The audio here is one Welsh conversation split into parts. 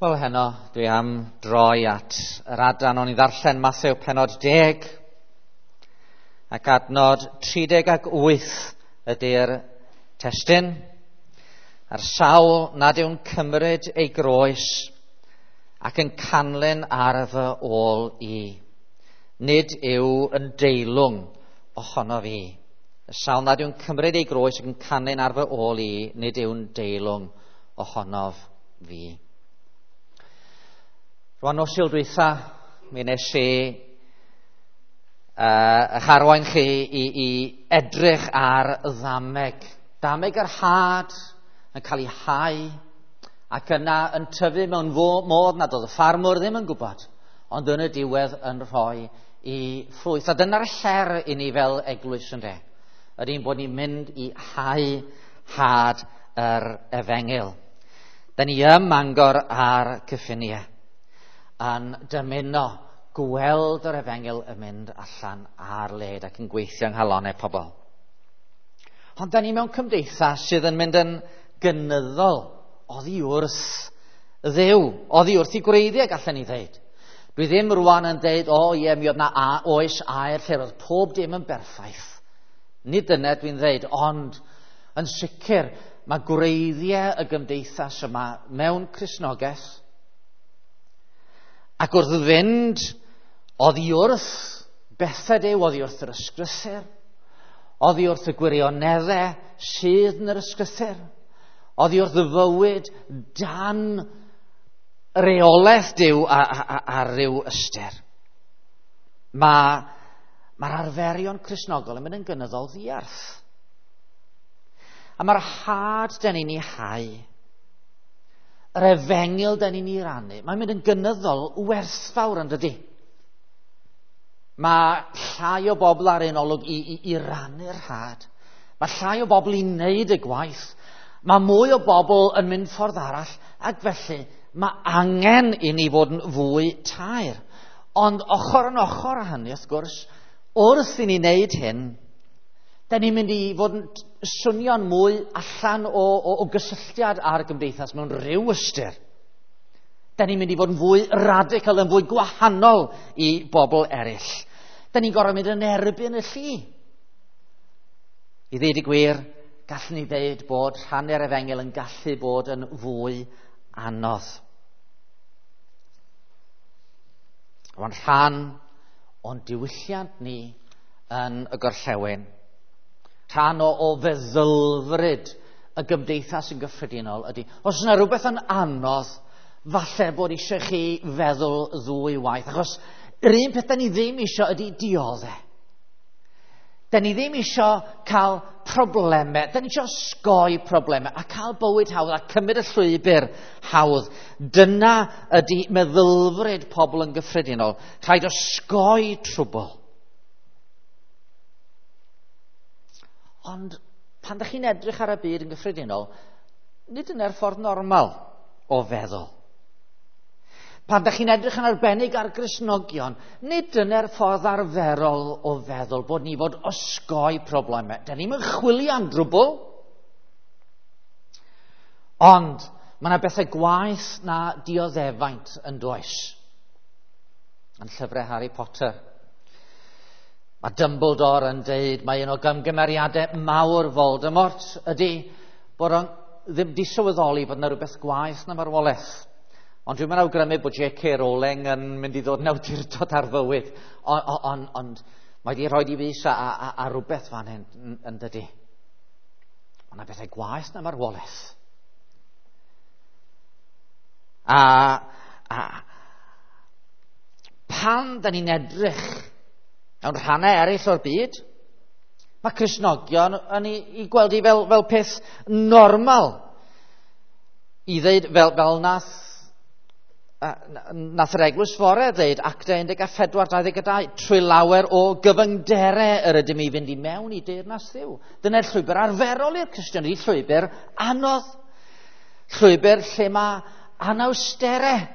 Wel, heno, dwi am droi at yr adran o'n i ddarllen Mathew pennod 10 ac adnod 38 ydy'r testun. A'r sawl nad yw'n cymryd ei groes ac yn canlyn ar fy ôl i, nid yw yn deilwng ohono fi. Y sawl nad yw'n cymryd ei groes ac yn canlyn ar fy ôl i, nid yw'n deilwng ohonof fi. Rwan nos Sul dwytha, mi nes i eich arwain chi i edrych ar ddameg. Dameg yr had yn cael ei hau ac yna yn tyfu mewn modd nad oedd y ffarmwr ddim yn gwybod, ond yn y diwedd yn rhoi i ffrwyth. A dyna'r her i ni fel eglwys ynde, yr un bod ni'n mynd i hau had yr efengyl. Da ni ym Mangor a'r cyffiniau yn dymuno gweld yr efengyl yn mynd allan ar led ac yn gweithio yng nghalonnau pobl. Ond da ni mewn cymdeithas sydd yn mynd yn gynyddol oddi wrth Dduw, oddi wrth i gwreiddiau, gallen ni ddeud. Dwi ddim rwan yn deud, o ie, mi oedd na oes aur lle roedd pob dim yn berffaith. Nid dyna dwi'n ddeud, ond yn sicr mae gwreiddiau y gymdeithas yma mewn Cristnogaeth. Ac wrth fynd oddi wrth bethau Duw, oddi wrth yr ysgrythur, oddi wrth y gwirioneddau sydd yn yr ysgrythur, oddi wrth y fywyd dan reolaeth Duw a ryw ystyr. Mae'r arferion Cristnogol yn mynd yn gynyddol ddiarth. A mae'r had dan ni'n ei hau, yr efengyl dan ni'n ei rannu, mae'n mynd yn gynyddol werthfawr yn dydy. Mae llai o bobl ar ein olwg i rannu'r had. Mae llai o bobl i wneud y gwaith. Mae mwy o bobl yn mynd ffordd arall, ac felly mae angen i ni fod yn fwy taer. Ond ochr yn ochr â hynny, wrth gwrs, wrth i ni wneud hyn, da ni'n mynd i fod yn swnio'n mwy allan o gysylltiad â'r gymdeithas mewn rhyw ystyr. Da ni'n mynd i fod yn fwy radical, yn fwy gwahanol i bobl eraill. Da ni'n gorfod mynd yn erbyn y llu. I ddeud y gwir, gallwn ni ddeud bod rhannu'r efengyl yn gallu bod yn fwy anodd. Mae'n rhan o'n diwylliant ni yn y gorllewin. Rhan o feddylfryd y gymdeithas yn gyffredinol ydy, os yna rhywbeth yn anodd, falle bod eisiau chi feddwl ddwy waith, achos yr un peth da ni ddim eisiau ydy dioddef. Da ni ddim eisiau cael problemau, da ni eisiau osgoi problemau a cael bywyd hawdd a cymryd y llwybr hawdd. Dyna ydy meddylfryd pobl yn gyffredinol. Rhaid osgoi trwbl. Ond pan ydych chi'n edrych ar y byd yn gyffredinol, nid yna'r ffordd normal o feddwl. Pan ydych chi'n edrych yn arbennig ar Gristnogion, nid dyna'r ffordd arferol o feddwl bod ni fod osgoi problemau. Da ni'n chwilio am drwbl. Ond mae yna bethau gwaeth na dioddefaint yn does. Yn llyfrau Harry Potter, mae Dumbledore yn deud mae un o gymgymeriadau mawr Voldemort ydy bod o'n ddim di sylweddoli bod yna rhywbeth gwaeth na marwolaeth. Ond dwi'n mynd awgrymu bod J.K. Rowling yn mynd i ddod yn awdurdod ar fywyd. Ond mae wedi rhoi i fys a rhywbeth fan hyn yn dydy. Ond yna bethau gwaeth na marwolaeth. A pan da ni'n edrych mewn rhannau eraill o'r byd, mae Cristnogion yn ei gweld i fel peth normal. I ddeud fel nath yr eglwys fore ddeud, Actau 14:22, trwy lawer o gyfyngderau yr ydym i fynd i mewn i deyrnas Dduw. Dyna'r llwybr arferol i'r Cristion, ydy llwybr anodd. Llwybr lle mae anawsterau.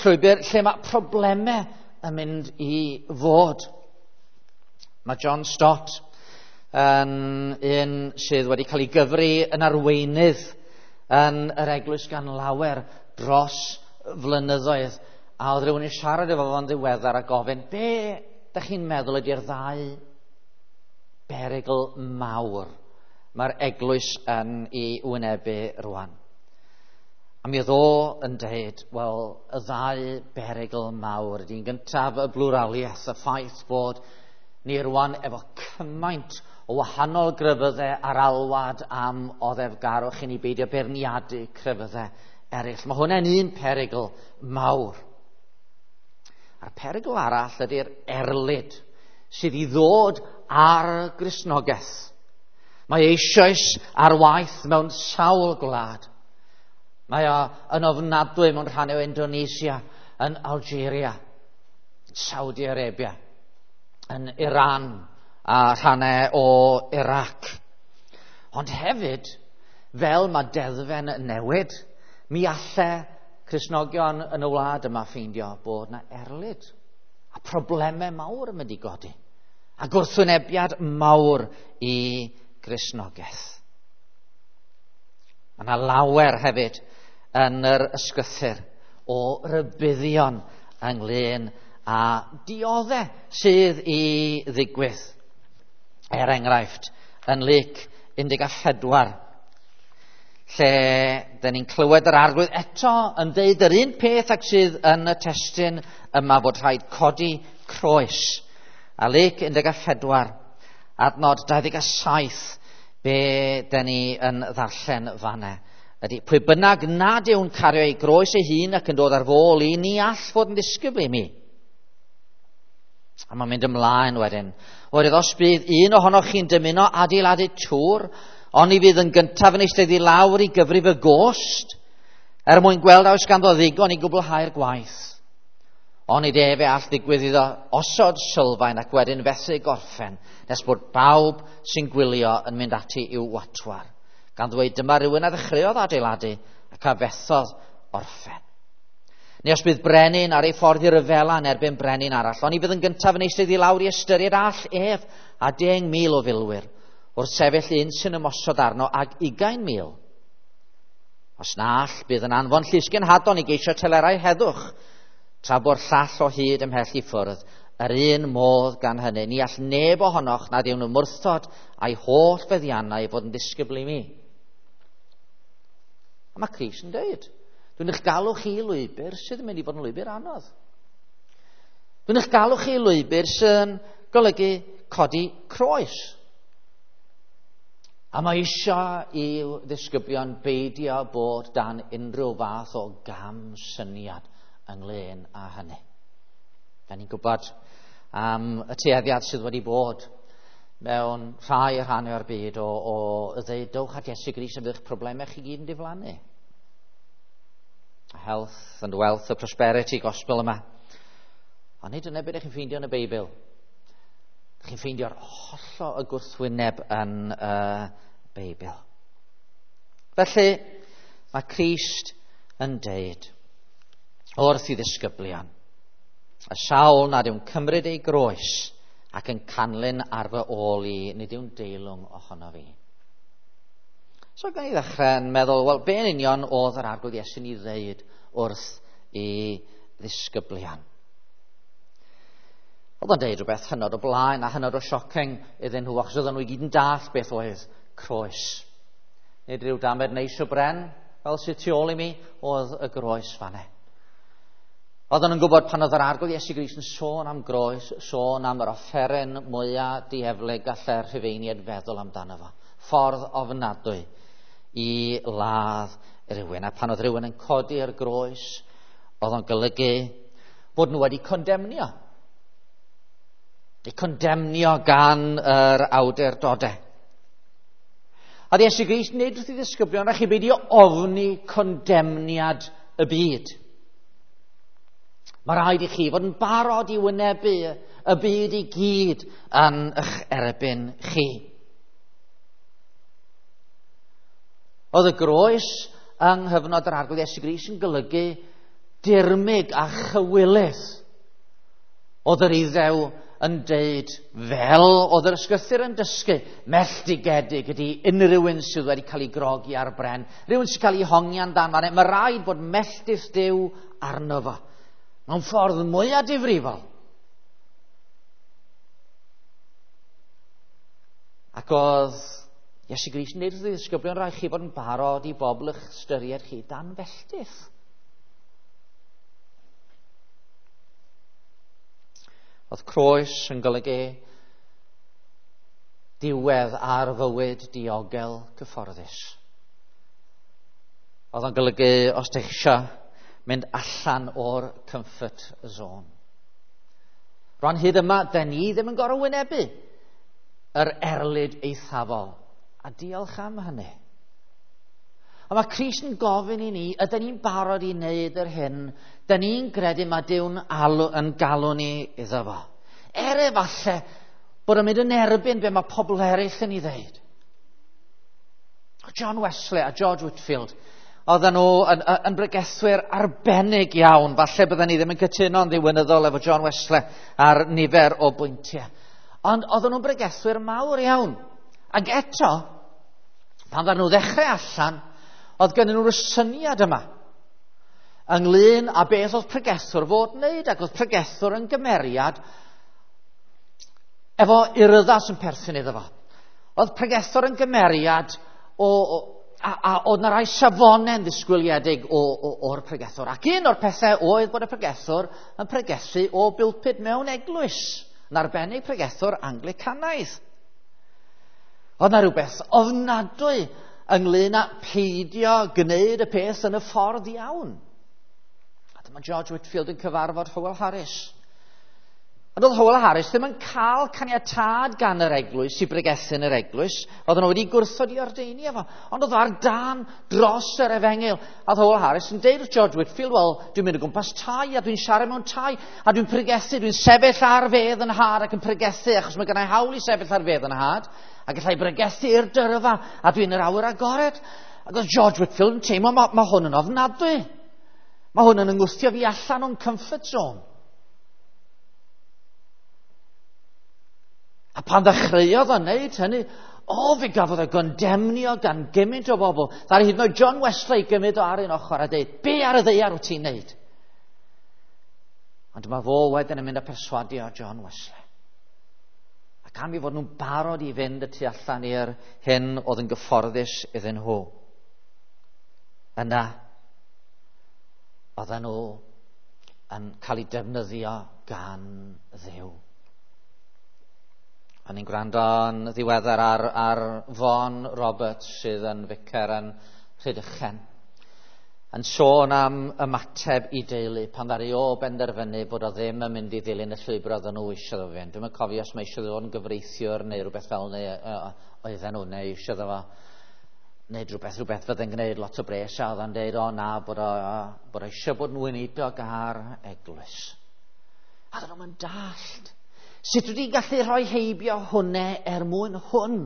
Llwybr lle mae problemau yn mynd i fod. Mae John Stott yn un sydd wedi cael ei gyfri yn arweinydd yn yr eglwys gan lawer dros flynyddoedd. A oedd rhywun yn siarad efo fo'n ddiweddar a gofyn, be da chi'n meddwl ydy'r ddau berygl mawr mae'r eglwys yn ei wynebu rwan? A mi oedd o yn dweud, wel, y ddau berygl mawr ydy'n gyntaf y blwraliaeth, y ffaith bod ni rwan efo cymaint o wahanol grefyddau ar alwad am oddefgarwch i ni beidio beirniadu crefyddau eraill. Mae hwnna'n un perygl mawr. A'r perygl arall ydy'r erlid sydd i ddod ar Gristnogaeth. Mae eisoes ar waith mewn sawl gwlad. Mae o yn ofnadwy mewn rhannau o Indonesia, yn Algeria, Saudi Arabia, yn Iran a rhannau o Iraq. Ond hefyd, fel mae deddfau'n newid, mi alle Cristnogion yn y wlad yma ffeindio bod na erlid a problemau mawr yn mynd i godi a gwrthwynebiad mawr i Gristnogaeth. Mae yna lawer hefyd yn yr ysgrythur o rybuddion ynglyn â dioddau sydd i ddigwydd. Er enghraifft, yn Luc 14, lle dyn ni'n clywed yr Arglwydd eto yn deud yr un peth ag sydd yn y testun yma, bod rhaid codi croes. A Luc 14, adnod 27, be dyn ni yn ddarllen fanna ydy, pwy bynnag nad yw'n cario ei groes ei hun ac yn dod ar fôl i, ni all fod yn ddisgybl i mi. A mae'n mynd ymlaen wedyn. Oherwydd os bydd un ohonoch chi'n dymuno adeiladu tŵr, oni fydd yn gyntaf yn eistedd i lawr i gyfrif y gost, er mwyn gweld a oes ganddo ddigon i gwblhau'r gwaith. Onid efe all ddigwydd iddo osod sylfaen ac wedyn fethu gorffen, nes bod bawb sy'n gwylio yn mynd ati i'w watwar, gan ddweud dyma rhywun a ddechreuodd adeiladu ac a fethodd orffen. Neu os bydd brenin ar ei ffordd i ryfela yn erbyn brenin arall, oni fydd yn gyntaf yn eistedd i lawr i ystyried all ef a 10,000 o filwyr, wrth sefyll un sy'n ymosod arno ag 20,000. Os na all, bydd yn anfon llysgenhadon i geisio telerau heddwch, tra bo'r llall o hyd ymhell i ffwrdd. Yr un modd gan hynny, ni all neb ohonoch nad yw'n ymwrthod a'i holl feddiannau fod yn ddisgybl i mi. A mae Crist yn dweud, dwi'n eich galw chi i lwybr sydd yn mynd i fod yn lwybr anodd. Dwi'n eich galw chi i lwybr sy'n golygu codi croes. A mae eisiau i'w ddisgyblion beidio bod dan unrhyw fath o gam syniad ynglyn â hynny. Da ni'n gwybod am y tueddiad sydd wedi bod mewn rhai rhannau o'r byd o ddeud, dowch at Iesu Grist a bydd eich problemau chi gyd yn diflannu. Health and wealth, the prosperity gospel yma. Ond nid dyna beth ydych chi'n ffeindio yn y Beibl. Ydych chi'n ffeindio'r hollol y gwrthwyneb yn y Beibl. Felly, mae Crist yn deud wrth i ddisgyblion, y sawl nad yw'n cymryd ei groes ac yn canlyn ar fy ôl i, nid yw'n deilwng ohono fi. So gan i ddechrau yn meddwl, wel, be yn union oedd yr Arglwydd Iesu'n ei ddeud wrth i ddisgyblion? Oedd o'n deud rhywbeth hynod o blaen a hynod o shocking iddyn nhw, achos oedden nhw i gyd yn dallt beth oedd croes. Nid rhyw damed neis o bren, fel sydd tu ôl i mi, oedd y groes fanne. Oedden nhw'n gwybod pan oedd yr Arglwydd Iesu Grist yn sôn am groes, sôn am yr offeren mwyaf dieflig gallai'r Rhufeiniaid feddwl amdano fo. Ffordd ofnadwy i ladd rhywun. A pan oedd rhywun yn codi'r groes, oedd o'n golygu bod nhw wedi condemnio. Eu condemnio gan yr awdurdodau. A Iesu Grist nid wrth i ddisgyblion, a chi beidio ofni condemniad y byd. Mae rhaid i chi fod yn barod i wynebu y byd i gyd yn eich erbyn chi. Oedd y groes yng nghyfnod yr Arglwydd Iesu Grist yn golygu dirmyg a chywilydd. Oedd yr Iddew yn deud, fel oedd yr ysgrythur yn dysgu, melltigedig ydy unrhyw un sydd wedi cael ei grogi ar bren, rhywun sy'n cael ei hongian dan fan. Mae rhaid bod melltith Duw arno fo. Mewn ffordd mwyaf difrifol. Ac oedd Iesu Grist yn dweud wrth ei ddisgyblion, rhaid chi fod yn barod i bobl eich ystyried chi dan felltith. Oedd croes yn golygu diwedd ar fywyd diogel cyfforddus. Oedd o'n golygu os ydych eisiau mynd allan o'r comfort zone. Rwan hyd yma, da ni ddim yn gorfod wynebu yr erlid eithafol. A diolch am hynny. A mae Crist yn gofyn i ni, ydyn ni'n barod i wneud yr hyn, dyn ni'n credu mae Duw'n yn galw ni iddo fo. Er efallai bod yn mynd yn erbyn be mae pobl eraill yn ei ddeud. John Wesley a George Whitefield, oedden nhw yn bregethwyr arbennig iawn. Falle bydden ni ddim yn cytuno'n ddiwinyddol efo John Wesley ar nifer o bwyntiau. Ond oedden nhw'n bregethwyr mawr iawn. Ac eto, pan ddaru nhw ddechrau allan, oedd gennyn nhw'r syniad yma ynglyn â beth oedd pregethwr fod wneud, ac oedd pregethwr yn gymeriad efo urddas yn perthyn iddo fo. Oedd pregethwr yn gymeriad a oedd 'na rai safonau'n ddisgwyliedig o'r pregethwr. Ac un o'r pethau oedd bod y pregethwr yn pregethu o bulpud mewn eglwys, yn arbennig pregethwr Anglicanaidd. Oedd 'na rhywbeth ofnadwy ynglyn â peidio gwneud y peth yn y ffordd iawn. A dyma George Whitefield yn cyfarfod Howell Harris. Ond oedd Howell Harris ddim yn cael caniatâd gan yr eglwys i bregethu yn yr eglwys. Oedden nhw wedi gwrthod i ordeinio fo. Ond oedd o ar dân dros yr efengyl. A oedd Howell Harris yn deud wrth George Whitefield, wel, dwi'n mynd o gwmpas tai a dwi'n siarad mewn tai a dwi'n pregethu, dwi'n sefyll ar fedd yn nhad ac yn pregethu achos mae gennau hawl i sefyll ar fedd yn nhad. A gallai bregethu i'r dyrfa a dwi'n yr awyr agored. Ac oedd George Whitefield yn teimlo, mae hwn yn ofnadwy. Mae hwn yn yngwthio fi allan o'n comfort zone. A pan ddechreuodd o wneud hynny, fe gafodd o gondemnio gan gymaint o bobl. Ddaru hyd yn oed John Wesley gymryd o ar un ochr a dweud, be ar y ddaear wyt ti'n wneud? Ond mae fo wedyn yn mynd a perswadio John Wesley. Ac am i fod nhw'n barod i fynd y tu allan i'r hyn oedd yn gyfforddus iddyn nhw. Yna, oedden nhw yn cael eu defnyddio gan Dduw. O'n i'n gwrando yn ddiweddar ar Vaughan Roberts sydd yn ficer yn Rhydychen, yn sôn am ymateb i deulu pan ddaru o benderfynu bod o ddim yn mynd i ddilyn y llwybr oedden nhw eisiau fo fynd. Dwi'm yn cofio os mae eisiau fo fod yn gyfreithiwr neu rhywbeth fel neu oedden nhw, neu eisiau fo wneud rhywbeth fydde'n gwneud lot o bres, a oedd o'n deud, o na, bod o eisiau bod yn weinidog ar eglwys. A oedden nhw'n dallt. Sut wedi gallu rhoi heibio hwnna er mwyn hwn?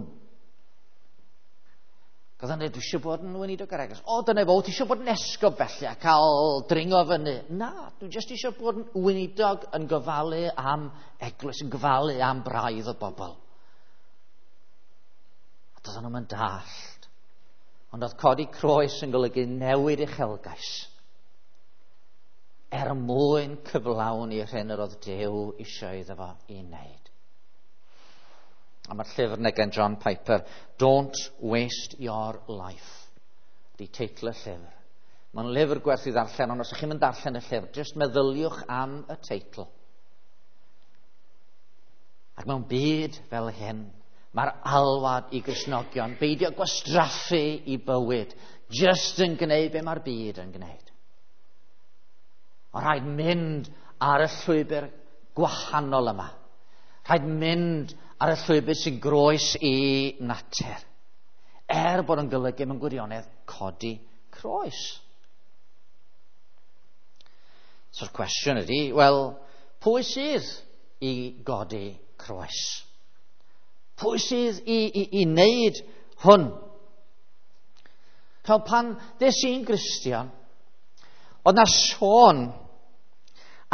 Oedd o'n dweud, dwi eisiau bod yn weinidog ar eglwys. O, dyna fo, ti eisiau bod yn esgob felly a cael dringo fyny. Na, dwi jyst eisiau bod yn weinidog yn gofalu am eglwys, yn gofalu am braidd o bobl. A doedden nhw'n dallt. Ond oedd codi croes yn golygu newid uchelgais er mwyn cyflawni yr hyn yr oedd Duw eisiau iddo fo i wneud. A mae'r llyfr yna gan John Piper, Don't Waste Your Life, di teitl y llyfr. Mae'n lyfr gwerth i ddarllen, ond os ydych chi'n mynd darllen y llyfr, jyst meddyliwch am y teitl. Ac mewn byd fel hyn, mae'r alwad i Gristnogion beidio gwastraffu i bywyd, jyst yn gwneud be mae'r byd yn gwneud. Ond rhaid mynd ar y llwybr gwahanol yma. Rhaid mynd ar y llwybr sy'n groes i natur. Er bod yn golygu mewn gwirionedd codi croes. So'r cwestiwn ydy, wel, pwy sydd i godi croes? Pwy sydd i wneud hwn? Fel pan ddes i'n Gristion, oedd na sôn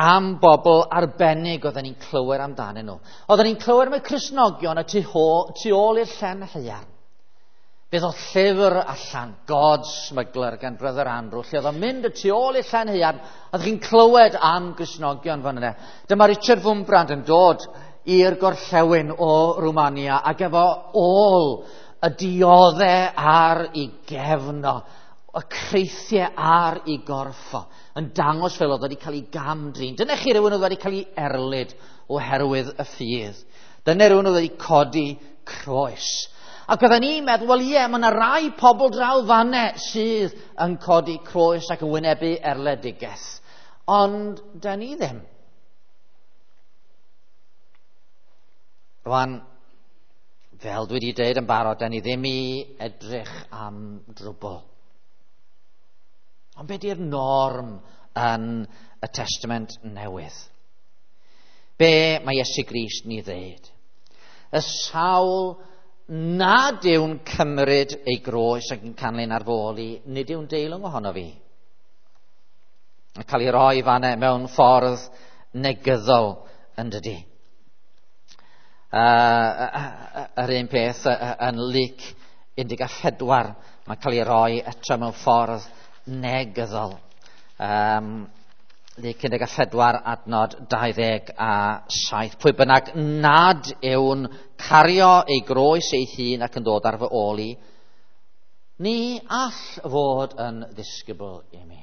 am bobl arbennig oedden ni'n clywed amdanyn nhw. Oedden ni'n clywed am y Cristnogion y tu ôl i'r llen haearn. Fe ddoth llyfr allan, God's Smuggler, gan Brother Andrew, lle oedd o'n mynd y tu ôl i'r llen haearn, a oeddech chi'n clywed am Gristnogion fan yna. Dyma Richard Wurmbrand yn dod i'r gorllewin o Rwmania ac efo ôl y diodde ar ei gefn o, y creithiau ar ei gorff o, yn dangos fel oedd wedi cael ei gam-drin. Dyna chi rhywun oedd wedi cael ei erlid oherwydd y ffydd. Dyna rhywun oedd wedi codi croes. Ac oedden ni'n meddwl, wel ie, mae yna rai pobl draw fanne sydd yn codi croes ac yn wynebu erledigaeth. Ond da ni ddim. Rwan, fel dwi wedi dweud yn barod, da ni ddim i edrych am drwbl. Ond be di'r norm yn y Testament Newydd? Be mae Iesu Grist ni ddeud? Y sawl nad yw'n cymryd ei groes ac yn canlyn ar fy ôl i, nid yw'n deilwng ohono fi. Yn cael ei roi fanne mewn ffordd negyddol yn dydi. Yr un peth yn Luc 14, mae'n cael ei roi eto mewn ffordd negyddol. Luc 14 adnod 27. Pwy bynnag nad yw'n cario ei groes ei hun ac yn dod ar fy ôl i, ni all fod yn ddisgybl i mi.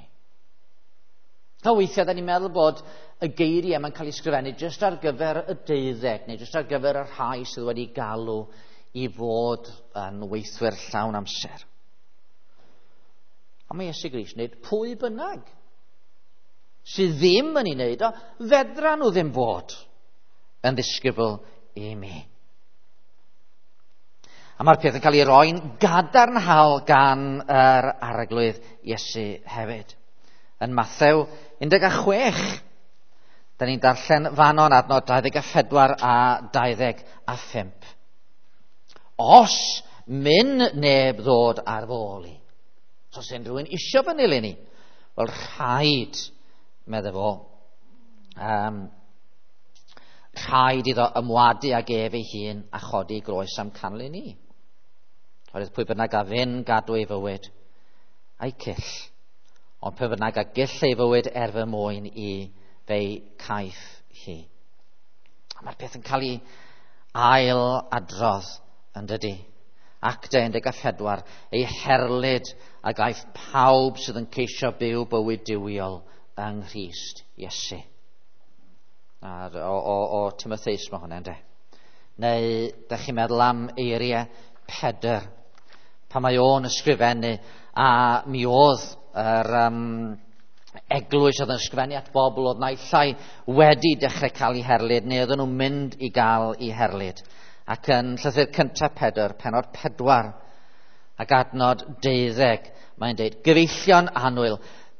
A weithiau, da ni'n meddwl bod y geiriau yma'n cael ei sgrifennu jyst ar gyfer y 12, neu jyst ar gyfer y rhai sydd wedi galw i fod yn weithwyr llawn amser. A mae Iesu Grist yn dweud, pwy bynnag sydd ddim yn ei wneud o, fedra nhw ddim fod yn ddisgybl i mi. A mae'r peth yn cael ei roi'n gadarnhaol gan yr Arglwydd Iesu hefyd. Yn Mathew 16, da ni'n darllen fanon adnod 24 a 25. Os myn neb ddod ar fy ôl i, os unrhyw un isio fy nilyn i, wel rhaid, medde fo, rhaid iddo ymwadu ag ef ei hun a chodi groes am canlyn i. Oherwydd pwy bynnag a fyn gadw ei fywyd a'i cyll, ond pwy bynnag a gyll ei fywyd er fy mwyn i, fe'i caiff hi. A mae'r peth yn cael ei ail adrodd yn dydi. Actau 14, ei herlid a gaiff pawb sydd yn ceisio byw bywyd duwiol yng Nghrist Iesu. A o Timotheus mae hwnna, ynde? Neu, da chi'n meddwl am eiriau Pedr, pan mae o'n ysgrifennu, a mi oedd yr eglwys oedd yn ysgrifennu at bobl oedd naill ai wedi dechrau cael ei herlid, neu oedden nhw'n mynd i gael ei herlid. Ac yn llythyr cyntaf Pedr, pennod 4, ac adnod 12, mae'n dweud, gyfeillion annwyl,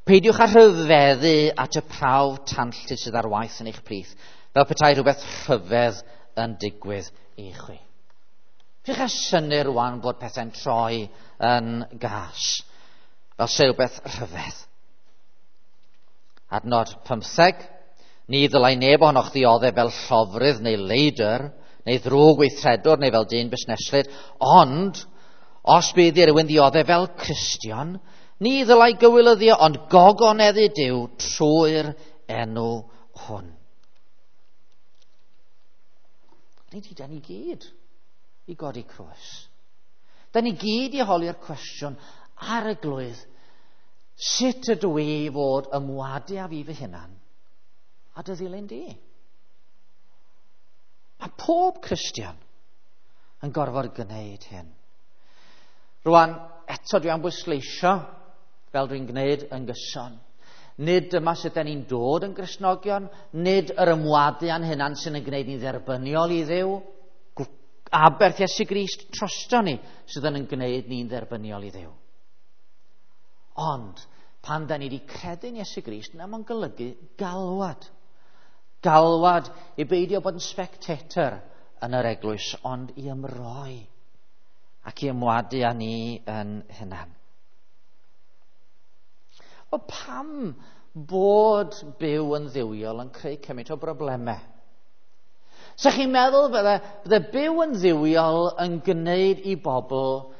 peidiwch â rhyfeddu at y prawf tanllyd sydd ar waith yn eich plith, fel petai rhywbeth rhyfedd yn digwydd i chwi. Peidiwch â synnu rwan bod pethau'n troi yn gas, fel se rhywbeth rhyfedd. Adnod 15, ni ddylai neb ohonoch ddioddef fel llofrudd neu leidr, neu ddrwg weithredwr neu fel dyn busneslyd, ond os bydd i rywun ddioddef fel Cristion, ni ddylai gywilyddio, ond gogoneddu Duw trwy'r enw hwn. Nid i da ni gyd i godi croes. Da ni gyd i holi'r cwestiwn ar y glwydd, sut ydw i fod ymwadu â fi fy hunan a dy ddilyn di? Mae pob Cristion yn gorfod gwneud hyn. Rwan, eto dwi am bwysleisio, fel dwi'n gwneud yn gyson. Nid dyma sut da ni'n dod yn Gristnogion, nid yr ymwadu a'n hunan sy'n yn gwneud ni'n dderbyniol i Dduw. Aberth Iesu Grist trosto ni sydd yn gwneud ni'n dderbyniol i Dduw. Ond, pan da ni wedi credu'n Iesu Grist, na mae'n golygu galwad. Galwad i beidio bod yn spectator yn yr eglwys, ond i ymroi ac i ymwadu â ni yn hunan. O pam bod byw yn dduwiol yn creu cymaint o broblemau? Sa chi'n meddwl bydde byw yn dduwiol yn gwneud i bobl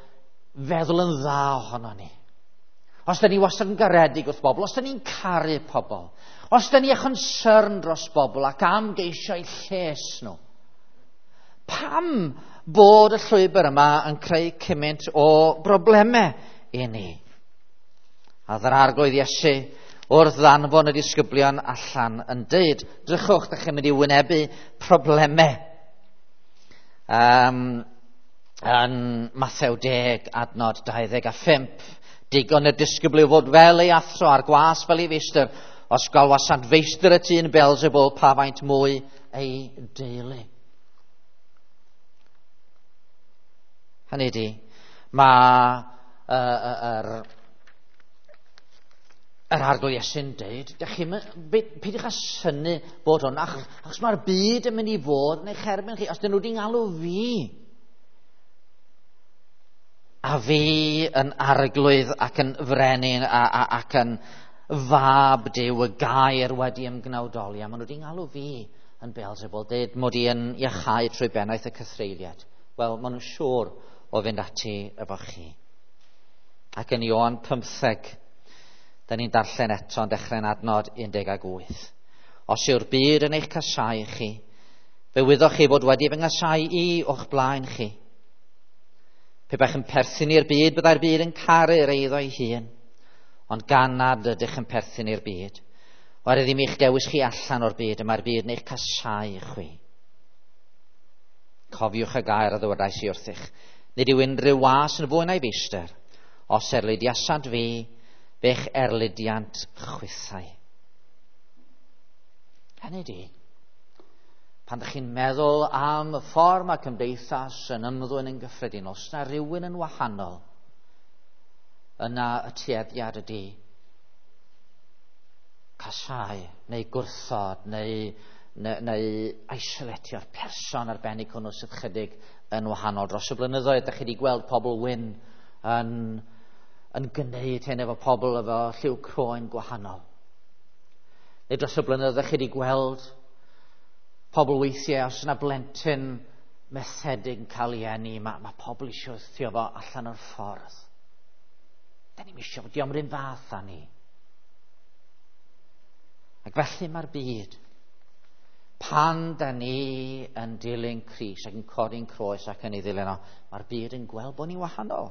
feddwl yn dda ohono ni? Os da ni wastad yn garedig wrth bobl, os da ni'n caru pobl, os da ni â chonsyrn dros bobl ac am geisio eu lles nhw, pam bod y llwybr yma yn creu cymaint o broblemau i ni? A ddy'r Arglwydd Iesu wrth ddanfon y disgyblion allan yn deud, drychwch, da chi'n mynd i wynebu problemau. Yn Mathew 10, adnod 25, digon y disgybl yw fod fel ei athro a'r gwas fel ei feistr, os galwasant feistr y tŷ yn Beelzebul, pa faint mwy ei deulu. Hynny ydi, mae yr Arglwydd Iesu'n deud, peidiwch â synnu bod hwn, achos mae'r byd yn mynd i fod yn eich erbyn chi, os dyn nhw wedi ngalw fi. A fi yn arglwydd ac yn frenin ac yn fab Duw, y gair wedi ymgnawdoli, a maen nhw wedi ngalw fi yn Beelzebul, deud mod i yn iachau trwy bennaeth y cythreuliad. Wel, maen nhw'n siŵr o fynd ati efo chi. Ac yn Ioan 15, da ni'n darllen eto yn dechrau'n adnod 18. Os yw'r byd yn eich casau chi, fe wyddoch chi fod wedi fy nghasau i o'ch blaen chi. Pe baech yn perthyn i'r byd, byddai'r byd yn caru'r eiddo ei hun. Ond gan nad ydych yn perthyn i'r byd, oherwydd ddim eich dewis chi allan o'r byd, y mae'r byd yn eich casau chwi. Cofiwch y gair a ddywedais i wrthych. Nid yw unrhyw was yn fwy na'i feistr. Os erlidiasant fi, fe'ch erlidiant chwithau. Hynny di, pan ydych chi'n meddwl am y ffordd mae cymdeithas yn ymddwyn yn gyffredinol, os na rhywun yn wahanol, yna y tueddiad ydy casau, neu gwrthod, neu isolatio'r person arbennig hwnnw sydd chydig yn wahanol. Dros y blynyddoedd, ydych chi wedi gweld pobl wyn yn gwneud hyn efo pobl efo lliw croen gwahanol. Neu dros y blynyddoedd, ydych chi wedi gweld pobl weithiau, os yna blentyn methedig yn cael ei eni, mae pobl eisiau wthio fo allan o'r ffordd. Da ni'm eisiau, dio'm yr un fath â ni. Ac felly mae'r byd. Pan da ni yn dilyn Crist ac yn codi'n croes ac yn ei ddilyn o, mae'r byd yn gweld bod ni'n wahanol.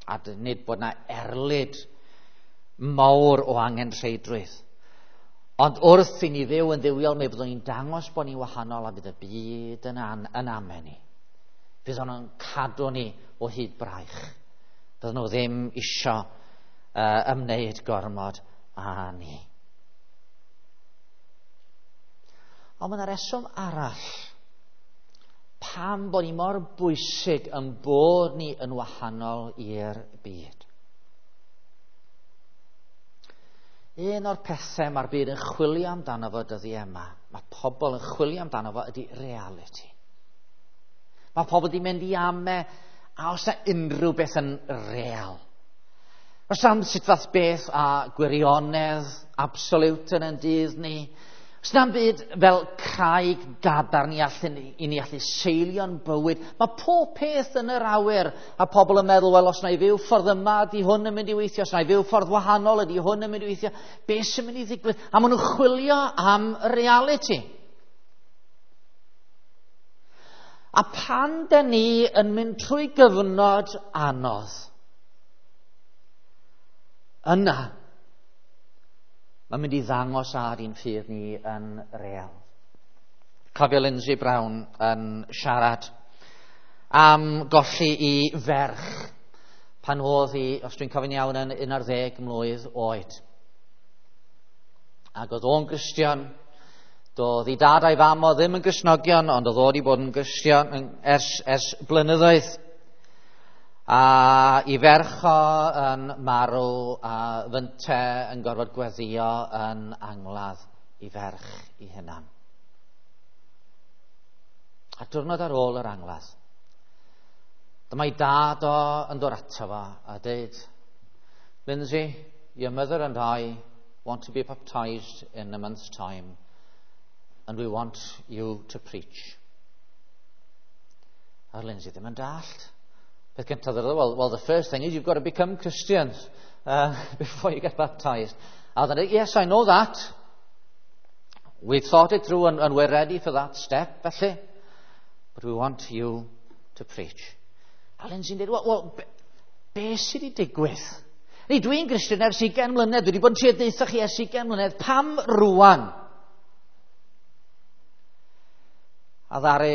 A nid bod na erlid mawr o angenrheidrwydd. Ond wrth i ni fyw yn dduwiol, mi fyddwn ni'n dangos bod ni'n wahanol a fydd y byd yn amen ni. Fydd nhw'n cadw ni o hyd braich. Fydd nhw ddim isio ymwneud gormod â ni. Ond mae yna reswm arall pam bod ni mor bwysig yn bod ni yn wahanol i'r byd. Un o'r pethau mae'r byd yn chwilio amdano fo dyddiau yma, mae pobl yn chwilio amdano fo, ydy reality. Mae pobl wedi mynd i ame a os yna unrhyw beth yn real. Os am sut fath beth a gwirionedd absolute yn ein dydd ni, os na'm byd fel craig gadarn i ni allu seilio'n bywyd. Mae pob peth yn yr awyr a pobl yn meddwl, wel, os na i fyw ffordd yma, ydy hwn yn mynd i weithio. Os na i fyw ffordd wahanol, ydy hwn yn mynd i weithio. Be sy'n mynd i ddigwydd? A maen nhw'n chwilio am reality. A pan da ni yn mynd trwy gyfnod anodd, yna, mae'n mynd i ddangos ar ein ffydd ni yn real. Cofio Lindsay Brown yn siarad am golli i ferch pan oedd hi, os dwi'n cofio'n iawn, yn 11 mlwydd oed. Ac oedd o'n Gristion, doedd ei dad a'i fam o ddim yn Gristnogion, ond oedd o wedi bod yn Gristion ers blynyddoedd. A i ferch o yn marw a fynte yn gorfod gweddio yn angladd i ferch i hunan. A diwrnod ar ôl yr angladd, dyma ei dad o yn dod ato fo a dweud, Lindsay, your mother and I want to be baptized in a month's time, and we want you to preach. A Lindsay ddim yn dallt. Peth gyntaf, well, the first thing is you've got to become Christians before you get baptized. A dweud, yes, I know that. We've thought it through and we're ready for that step, felly. But we want you to preach. A Lindsay'n dweud, well, be sydd wedi digwydd? Ni, dwi'n Gristion ers 20 mlynedd, dwi wedi bod yn trio deutha chi ers 20 mlynedd, pam rwan? A ddaru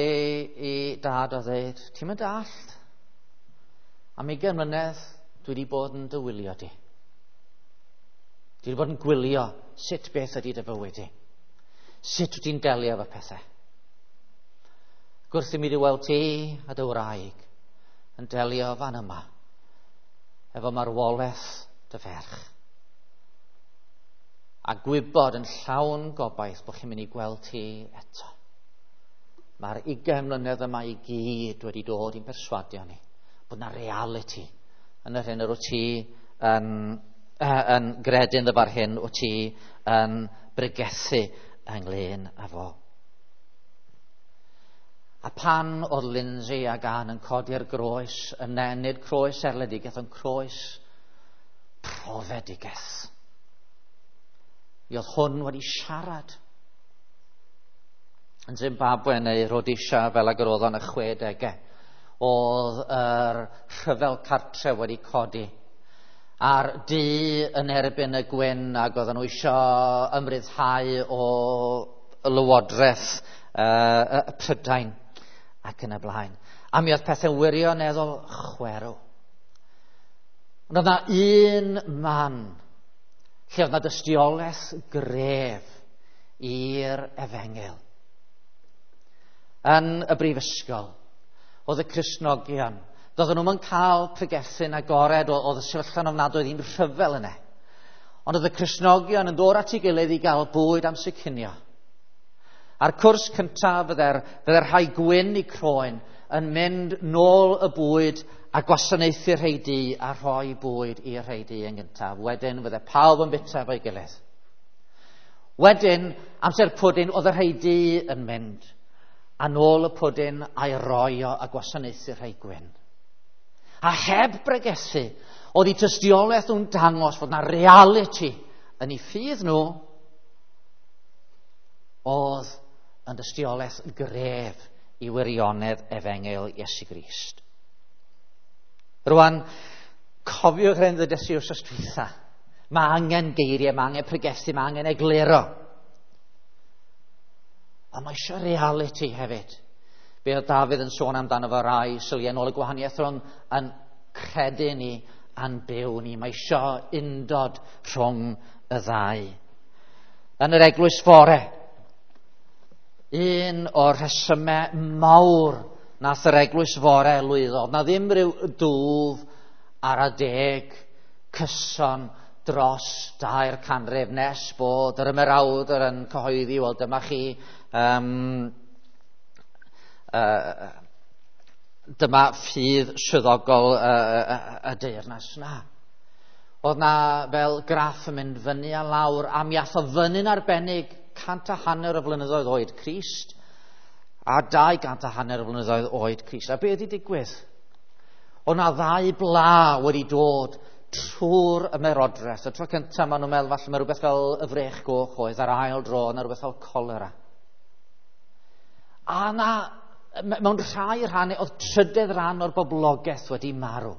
i dad o ddeud, ti'n mynd dallt? Am 20 mlynedd, dwi wedi bod yn dy wylio di. Dwi wedi bod yn gwylio sut beth ydy dy fywyd di. Sut wyt ti'n delio efo pethau. Gwrth i mi weld ti a dy wraig yn delio fan yma efo marwolaeth dy ferch. A gwybod yn llawn gobaith bod chi'n mynd i gweld ti eto. Mae'r 20 mlynedd yma i gyd wedi dod i'n perswadio ni bod na reality yn yr hyn yr wyt ti yn gredu ynddo fo'r hyn wyt ti yn bregethu ynglyn â fo. A pan oedd Lindsay ac Ann yn codi'r groes, yn nid croes erledigaeth, ond croes profedigaeth. Mi oedd hwn wedi siarad. Yn Zimbabwe neu Rhodesia, fel ag yr oedd o'n y 60au, oedd yr rhyfel cartref wedi codi. A'r du yn erbyn y gwyn, ac oedden nhw eisiau ymryddhau o lywodraeth y Prydain ac yn y blaen. A mi oedd pethau'n wirioneddol chwerw. Ond oedd na un man lle oedd na dystiolaeth gref i'r efengyl. Yn y brifysgol, oedd y Cristnogion, doedden nhw'm yn cael pregethu'n agored, oedd y sefyllfa'n ofnadwy, oedd hi'n rhyfel yna. Ond oedd y Cristnogion yn dod at ei gilydd i gael bwyd am cinio. A'r cwrs cyntaf fydde'r rhai gwyn i croen yn mynd nôl y bwyd a gwasanaethu'r rhai du a rhoi bwyd i'r rhai du yn gyntaf. Wedyn fydde pawb yn bita efo'i gilydd. Wedyn, amser pwdin, oedd y rhai du yn mynd a nôl y pwdin a'i roi o a gwasanaethu'r rhai gwyn. A heb bregethu, oedd eu tystiolaeth nhw'n dangos fod na reality yn eu ffydd nhw oedd yn dystiolaeth gref i wirionedd efengyl Iesu Grist. Rwan, cofiwch yr hyn ddedes i wsos dwytha. Mae angen geiriau, mae angen pregethu, mae angen egluro. Ond mae eisiau reality hefyd. Be oedd Dafydd yn sôn amdano fo rai syliau nôl y gwahaniaeth rhwng yn credu ni a'n byw ni. Mae eisiau undod rhwng y ddau. Yn yr eglwys fore, un o'r rhesymau mawr nath yr eglwys fore lwyddo, na ddim rhyw dwf ar adeg cyson dros 2 canrif nes bod yr ymerawdr yn cyhoeddi, wel dyma chi, dyma ffydd swyddogol y deyrnas. Na. Oedd na fel graff yn mynd fyny a lawr, a mi ath o fyny'n arbennig 150 o flynyddoedd oed Crist a 250 o flynyddoedd oed Crist. A be wedi digwydd? Oedd na ddau bla wedi dod trwy'r ymerodraeth. Y tro cyntaf maen nhw'n meddwl falle mae rhywbeth fel y frech goch oedd, a'r ail dro yna rhywbeth fel cholera. A na, mewn rhai rhannau, oedd trydedd rhan o'r boblogaeth wedi marw.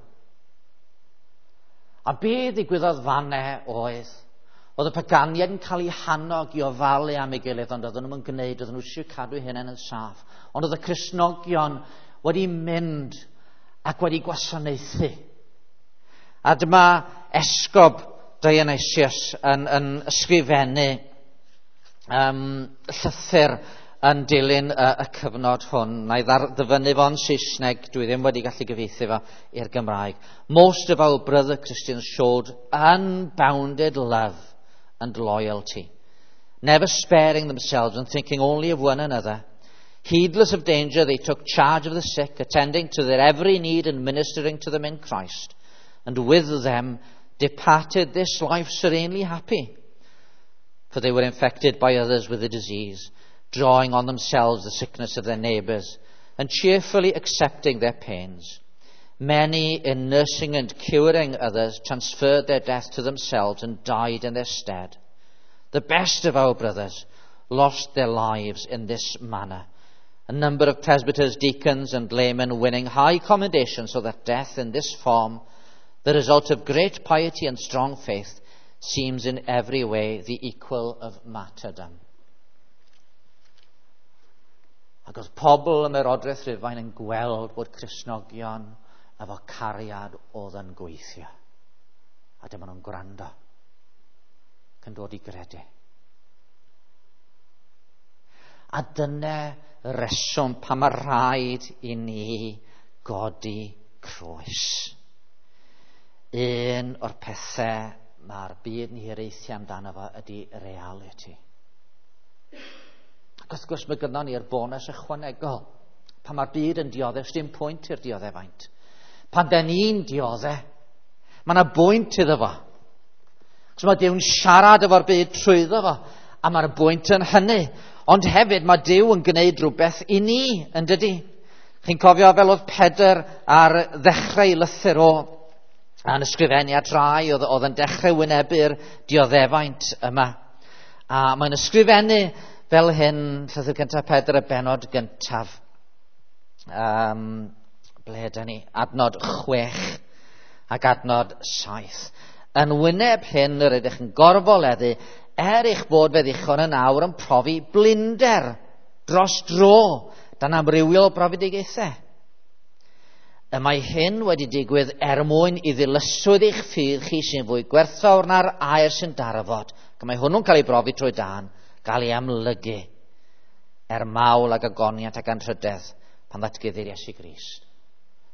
A be ddigwyddodd fanne oedd y paganiaid yn cael eu hannog i ofalu am ei gilydd, ond oedden nhw'n gwneud, oedden nhw eisiau cadw eu hunain yn saff. Ond oedd y Cristnogion wedi mynd ac wedi gwasanaethu. A dyma esgob Dionysius yn ysgrifennu llythyr yn dilyn y cyfnod hwn. Na i ddyfynnu fo'n Saesneg, dwi ddim wedi gallu gyfieithu fo i'r Gymraeg. Most of our brother Christians showed unbounded love and loyalty, never sparing themselves and thinking only of one another. Heedless of danger, they took charge of the sick, attending to their every need and ministering to them in Christ. And with them departed this life serenely happy, for they were infected by others with the disease, drawing on themselves the sickness of their neighbours, and cheerfully accepting their pains. Many, in nursing and curing others, transferred their death to themselves and died in their stead. The best of our brothers lost their lives in this manner. A number of presbyters, deacons, and laymen winning high commendation, so that death in this form, the result of great piety and strong faith, seems in every way the equal of martyrdom. Ac oedd pobl ym Ymerodraeth Rhufain yn gweld bod Cristnogion efo cariad oedd yn gweithio. A dyma nhw'n gwrando ac yn dod i gredu. A dyna reswm pam mae rhaid i ni godi croes. Un o'r pethau mae'r byd yn hiraethu amdano fo ydy reality. Ac wrth gwrs mae gynnon ni'r bonus ychwanegol. Pan mae'r byd yn dioddef, dim pwynt i'r dioddefaint. Pan den ni'n dioddef, mae yna bwynt iddo fo. So mae Duw'n siarad efo'r byd trwyddo fo, a mae'r bwynt yn hynny. Ond hefyd mae Duw yn gwneud rhywbeth i ni, yn dydy? Chi'n cofio fel oedd Pedr ar ddechrau lythyr o a'n ysgrifennu at rai oedd, oedd yn dechrau wynebu'r dioddefaint yma. A mae'n ysgrifennu fel hyn, llythyr cyntaf Pedr, y benod gyntaf. Ble ydyn ni? Adnod 6 ac adnod 7. Yn wyneb hyn yr ydych yn gorfoleddu, er eich bod fe ddichon yn awr yn profi blinder dros dro dan amrywiol brofedigaethau. Y mae hyn wedi digwydd er mwyn i ddilyswyd eich ffydd chi sy'n fwy gwerthfawr na'r aer sy'n darfod. Ac mae hwnnw'n cael ei brofi trwy dan, gael ei amlygu er mawl ag agoniant ac anrhydedd pan ddatguddir Iesu Grist.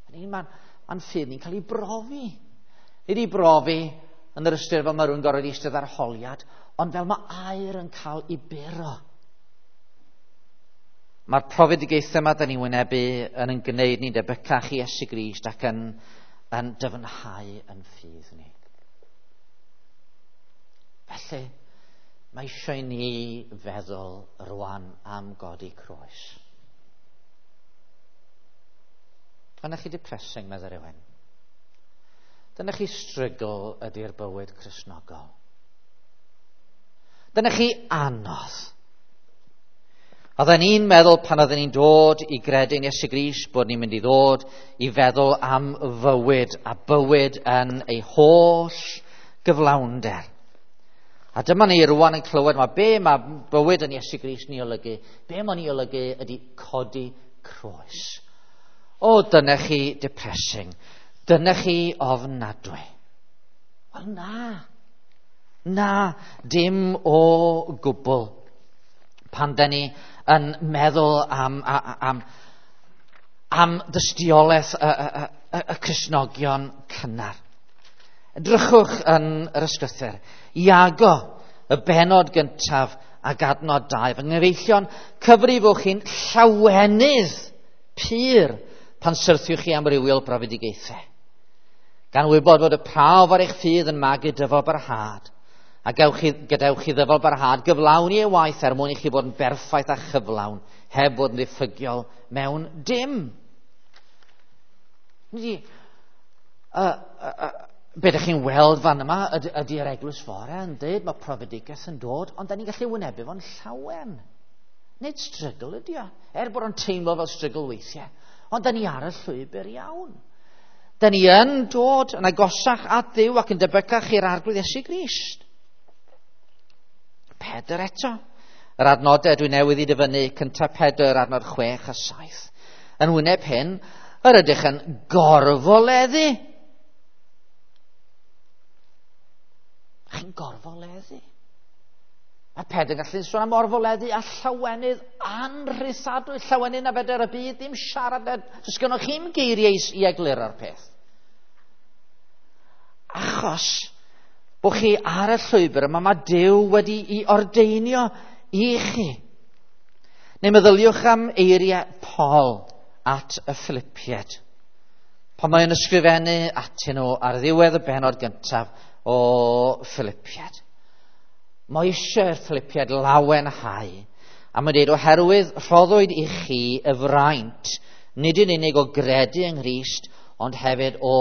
Mae'n ma ffydd ni'n cael ei brofi. Nid ei brofi yn yr ystyr fel mae rhywun gorfod eistedd arholiad, ond fel mae aer yn cael ei buro. Mae'r profedigaethau yma da ni'n wynebu yn yn gwneud ni'n debycach i Iesu Grist ac yn, yn dyfnhau yn ffydd ni. Felly, mae eisiau ni feddwl rwan am godi croes. Dyna chi depressing, meddai rhywun. Dyna chi struggle ydy'r bywyd Cristnogol. Dyna chi anodd. Oedden ni'n meddwl pan oedden ni'n dod i gredu'n Iesu Grist bod ni'n mynd i ddod i feddwl am fywyd a bywyd yn ei holl gyflawnder. A dyma ni rwan yn clywed mae be mae bywyd yn Iesu Grist ni olygu. Be mae'n ei olygu ydy codi croes. O, dyna chi depressing. Dyna chi ofnadwy. Wel na. Na, dim o gwbl. Pan da ni yn meddwl am, am, am, am dystiolaeth y, y, y, y Cristnogion cynnar. Edrychwch yn yr ysgrythyr. Iago, y benod gyntaf ac adnod 2. Fy nghyfeillion, cyfrifwch chi'n llawenydd pur pan syrthiwch chi amrywiol brofedigaethau. Gan wybod fod y prawf ar eich ffydd yn magu dyfal barhad, a gewch chi, gadewch chi ddyfal barhad gyflawni ei waith er mwyn i chi fod yn berffaith a chyflawn, heb fod yn ddiffygiol mewn dim. Ni, be ydych chi'n weld fan yma ydy'r eglwys fore yn dweud mae profedigaeth yn dod, ond da ni'n gallu wynebu fo'n llawen. Nid strygl ydy o, er bod o'n teimlo fel strygl weithiau. Ond da ni ar y llwybr iawn. Da ni yn dod yn agosach at Dduw ac yn debycach i'r Arglwydd Iesu Grist. Pedr eto. Yr adnodau dwi newydd i dyfynnu, cyntaf Pedr, adnod 6 a 7. Yn wyneb hyn, yr ydych yn gorfoleddu. Chi'n gorfoleddu. Mae Pedr yn gallu sôn am orfoleddu a llawenydd anrhysadwy, llawenydd na fedr y byd ddim siarad, does gynnoch chi'm geiriau i egluro'r peth. Achos bod chi ar y llwybr yma, mae Duw wedi i ordeinio i chi. Neu meddyliwch am eiriau Paul at y Philippiaid. Pan mae'n ysgrifennu atyn nhw ar ddiwedd y benod gyntaf, o Philippiad. Mae eisiau'r Philippiad lawenhau. A mae'n dweud, oherwydd rhoddwyd i chi y fraint, nid yn unig o gredu yng Nghrist, ond hefyd o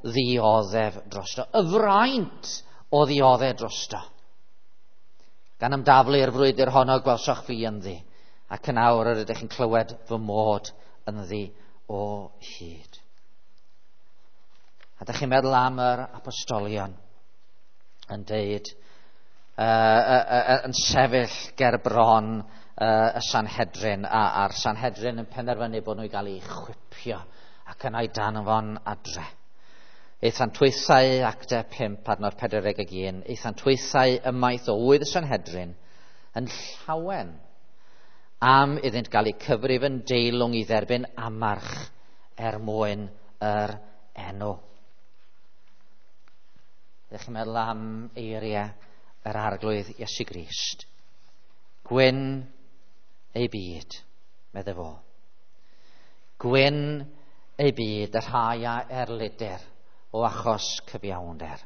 ddioddef drosto. Y fraint o ddioddef drosto. Gan ymdaflu i'r frwydr honno gwelsoch fi ynddi, ac yn awr yr ydych chi'n clywed fy mod ynddi o hyd. A ydych chi'n meddwl am yr apostolion yn deud, yn sefyll ger bron y Sanhedrin, a'r Sanhedrin yn penderfynu bod nhw i gael eu chwipio ac yna i danfon adre. Eithant twythau, actau 5, adnod 41, eithant twythau ymaith o ŵydd y Sanhedrin yn llawen am iddynt gael eu cyfrif yn deilwng i dderbyn amarch er mwyn yr enw. Ydych chi'n meddwl am eiriau yr Arglwydd Iesu Grist? Gwyn ei byd, medde fo. Gwyn ei byd, y rhai a erlidir o achos cyfiawnder.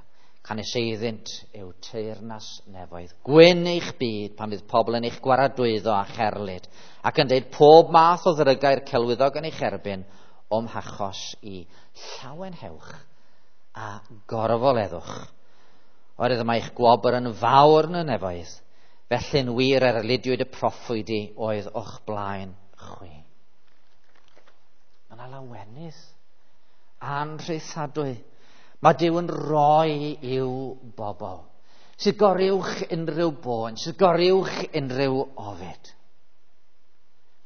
Canys eiddynt yw teyrnas nefoedd. Gwyn eich byd pan fydd pobl yn eich gwaradwyddo a cherlid, ac yn deud pob math o ddrygau'r celwyddog yn eich erbyn o'm hachos i. Llawenhewch a gorfoleddwch. Oherwydd mae eich gwobr yn fawr yn y nefoedd, felly'n wir erlidiwyd y proffwydi oedd o'ch blaen chwi. Mae yna lawenydd anrhaethadwy. Mae Duw yn rhoi i'w bobl sydd goruwch unrhyw boen, sydd goruwch unrhyw ofid.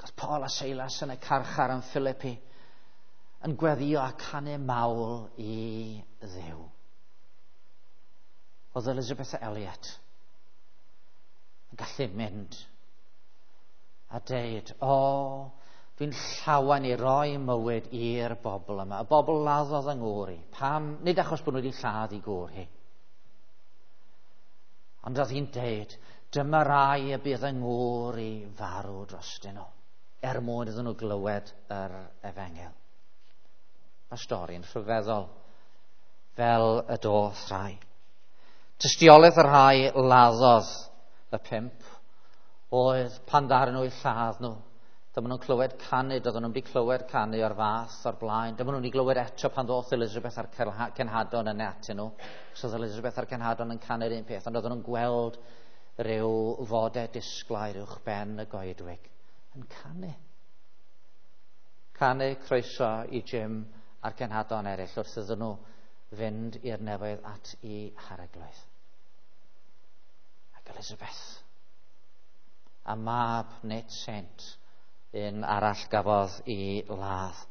Cos Paul a Silas yn y carchar yn Philippi yn gweddio a canu mawl i Dduw. Oedd Elizabeth Elliot yn gallu mynd a deud, o, dwi'n llawen i roi mywyd i'r bobl yma. Y bobl laddodd yng ngŵr i. Pam? Nid achos bod nhw wedi lladd i gŵr hi. Ond oedd hi'n deud, dyma rai y bydd yng ngŵr i farw drostyn nhw, er mwyn iddyn nhw glywed yr efengyl. Mae stori'n rhyfeddol, fel y doth rhai. Tystiolaeth y rhai laddodd y 5 oedd pan ddaru nhw eu lladd nhw. Dyma nhw'n clywed canu, doedden nhw'n wedi clywed canu o'r fath o'r blaen. Dyma nhw'n wedi glywed eto pan ddoth Elizabeth a'r cenhadon yn atyn nhw. So oedd Elizabeth a'r cenhadon yn canu'r un peth, ond oedden nhw'n gweld rhyw fodau disglair uwch ben y goedwig yn canu. Canu croeso i Jim a'r cenhadon eraill wrth iddyn nhw fynd i'r nefoedd at i harglwydd. Ac Elizabeth a mab Ned Saint, un arall gafodd i ladd,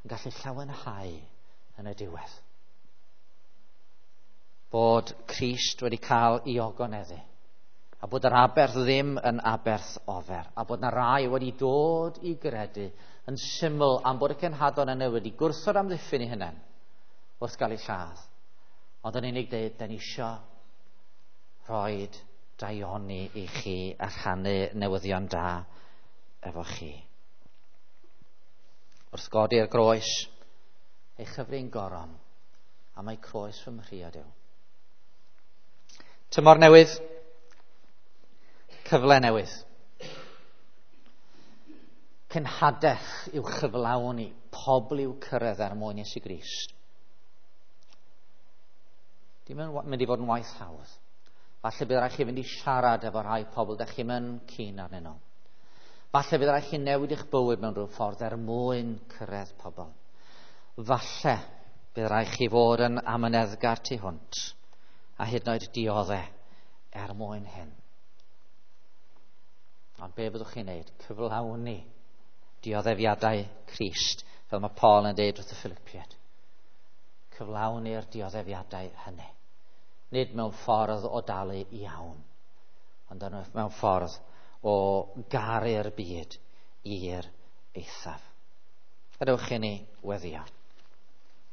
yn gallu llawenhau yn y diwedd. Bod Crist wedi cael ei ogoneddu, a bod yr aberth ddim yn aberth ofer, a bod na rai wedi dod i gredu yn syml am bod y cenhadon yna wedi gwrthod amddiffyn eu hunain wrth gael eu lladd. Ond yn unig dweud, da ni isio rhoi daioni i chi a rhannu newyddion da efo chi. Wrth godi'r groes, ei chyfrin goron, a mae croes fy mhriod yw. Tymor newydd, cyfle newydd. Cenhadaeth i'w chyflawni, pobl i'w cyrraedd er mwyn Iesu Grist. Dim yn mynd i fod yn waith hawdd. Falle bydd rhaid chi fynd i siarad efo rhai pobl da chi'm yn keen arnyn nhw. Falle bydd rhaid chi newid eich bywyd mewn rhyw ffordd er mwyn cyrraedd pobl. Falle bydd rhaid chi fod yn amyneddgar tu hwnt a hyd yn oed diodde er mwyn hyn. Ond be fyddwch chi'n neud? Cyflawni dioddefiadau Crist, fel mae Paul yn deud wrth y Philippiaid. Cyflawni'r dioddefiadau hynny. Nid mewn ffordd o dalu iawn, ond mewn ffordd o garu'r byd i'r eithaf. Gadewch i ni weddïo.